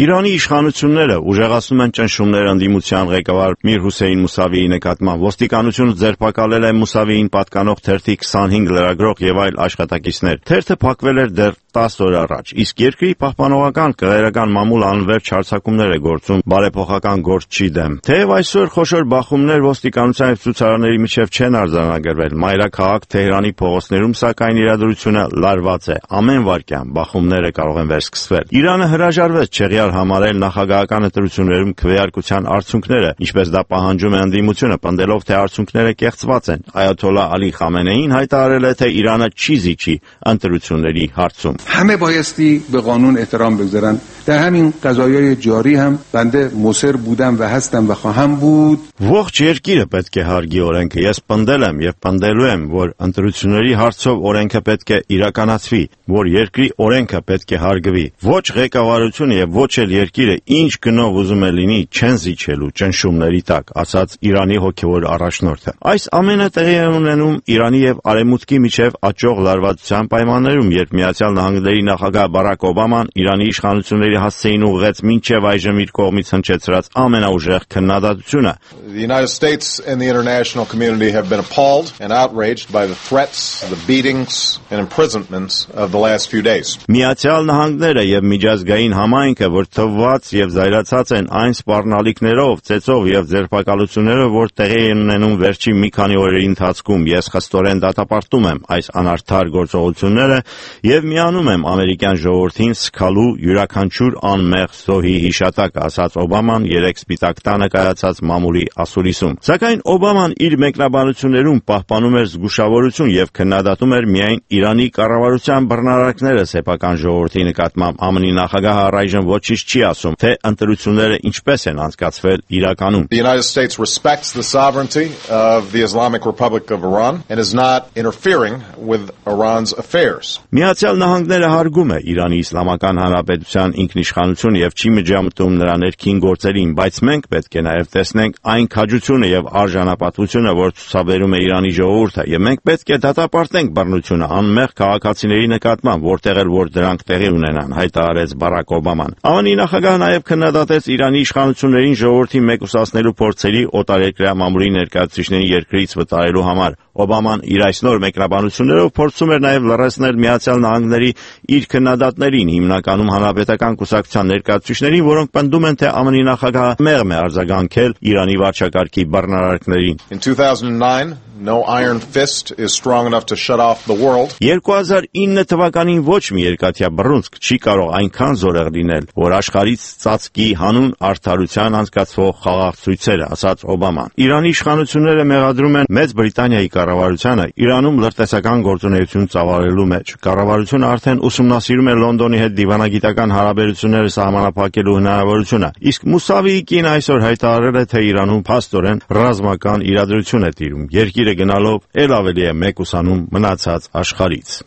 Իրանի իշխանությունները ուժեղացնում են ճնշումներ ընդդիմության ղեկավար Միր Հուսեյն Մուսավիի նկատմամբ։ Ոստիկանությունը ձերբակալել է Մուսավիին պատկանող թերթի 25 լրագրող եւ այլ աշխատակիցներ։ Թերթը փակվել էր դեռ 10 օր առաջ, իսկ երկրի պահպանողական կղերական մամուլ անվերջ հարձակումներ է գործում բարեփոխական գործչի դեմ։ Թեև այսօր խոշոր բախումներ ոստիկանության եւ ցուցարարների միջև չեն արձանագրվել, մայրաքաղաք Թեհրանի փողոցներում սակայն իրադրությունը լարված է։ Ամեն վայրկյան բախումները կարող են վերսկսվել։ Իրանը հրաժարվեց չեղյալ համարել նախագահական ընտրություններում քվեարկության արդյունքները, ինչպես դա պահանջում է ընդդիմությունը, պնդելով, թե արդյունքները կեղծված են։ Այաթոլլահ Ալի Խամենեին հայտարարել է, թե Իրանը չի զիջի ընտրությունների հարցում։ همه بایستی به قانون احترام بگذارن. در همین قضایای جاری هم بنده مصر بودم و هستم و خواهم بود. Ողջ երկիրը պետք է հարգի օրենքը։ Ես պնդել եմ եւ պնդելու եմ, որ ընտրությունների հարցով օրենքը պետք է իրականացվի, որ երկրի օրենքը պետք է հարգվի։ Ոչ ղեկավարությունը եւ ոչ էլ երկիրը ինչ գնով ուզում է լինի չեն զիջելու ճնշումների տակ, ասաց Իրանի հոգեվոր առաջնորդը։ Այս ամենը տեղի է ունենում Իրանի եւ Արևմուտքի միջև աճող լարվածության պայմաններում, երբ Միացյալ Նահանգների նախագահ Բարակ Օբաման Իրանի իշխանությունների հասցեին ուղղեց մինչև այժմ իր կողմից հնչեցրած ամենաուժեղ քննադատությունը։ The United States and the international community have been appalled and outraged by the threats, the beatings and imprisonments of the last few days. Միացյալ Նահանգները եւ միջազգային համայնքը, որ թվված եւ զայրացած են այն սպառնալիքներով, ծեծով եւ ձերբակալություններով, որ տեղի են ունենում վերջին մի քանի օրերի ընթացքում, ես խստորեն դատապարտում եմ այս անարդար գործողությունները եւ միանում եմ ամերիկյան ժողովրդին սքալու յուրաքանչյուր անմեղ զոհի հիշատակ, ասաց Օբաման երեք Սպիտակ տանը կայացած մամուլի ասուլիսում։ Սակայն Օբաման իր մեկնաբանություններում պահպանում էր զգուշավորություն եւ քննադատում էր միայն Իրանի կառավարության բռնարարքները սեփական ժողովրդի նկատմամբ։ ԱՄՆ-ի նախագահը առայժմ ոչինչ չի ասում, թե ընտրությունները ինչպես են անցկացվել իրականում։ The United States respects the sovereignty of the Islamic Republic of Iran and is not interfering with Iran's affairs. Միացյալ Նահանգները հարգում է Իրանի Իսլամական Հանրապետության ինքնիշխանությունը եւ չի միջամտում նրա ներքին գործերին, բայց մենք պետք է նաեւ տեսնենք այն քաջությունը եւ արժանապատվությունը, որ ցուցաբերում է Իրանի ժողովուրդը, եւ մենք պետք է դատապարտենք բռնությունը անմեղ քաղաքացիների նկատմամբ, որտեղ էլ որ դրանք տեղի ունենան, հայտարարեց Բարակ Օբաման։ ԱՄՆ-ի նախագահը նաեւ քննադատեց Իրանի իշխանություններին ժողովրդի մեկուսացնելու փորձերի օտարերկրյա մամուլի ներկայացուցիչների երկրից վտարելու համար։ Օբաման իր այս նոր մեկնաբանություններով փորձում էր նաեւ լրացնել Միացյալ Նահանգների իր քննադատներին, հիմնականում հանրապետական կուսակցության ներկայացուցիչներին, որոնք պնդում են, թե ԱՄՆ-ի նախագահը մեղմ է արձագանքել Իրանի վարչակարգի բռնարարքներին։ In 2009, no iron fist is strong enough to shut off the world. 2009 թվականին ոչ մի երկաթյա բռունցք չի կարող այնքան զորեղ լինել, որ աշխարհից ծածկի հանուն արդարության անցկացվող խաղաղ ցույցերը, ասաց Օբաման։ Իրանի իշխանությունները մեղադրում են Մեծ Բրիտանիայի կառավարությանը Իրանում լրտեսական գործունեություն ծավալելու մեջ։ Կառավարությունը արդեն ուսումնասիրում է Լոնդոնի հետ դիվանագիտական հարաբերությունները սահմանափակելու հնարավորությունը, իսկ Մուսավիի կին այսօր հայտարարել է, թե Իրանում փաստորեն ռազմական իրադրություն է տիրում։ Երկիրը գնալով էլ ավելի է մեկուսանում մնացած աշխարհից։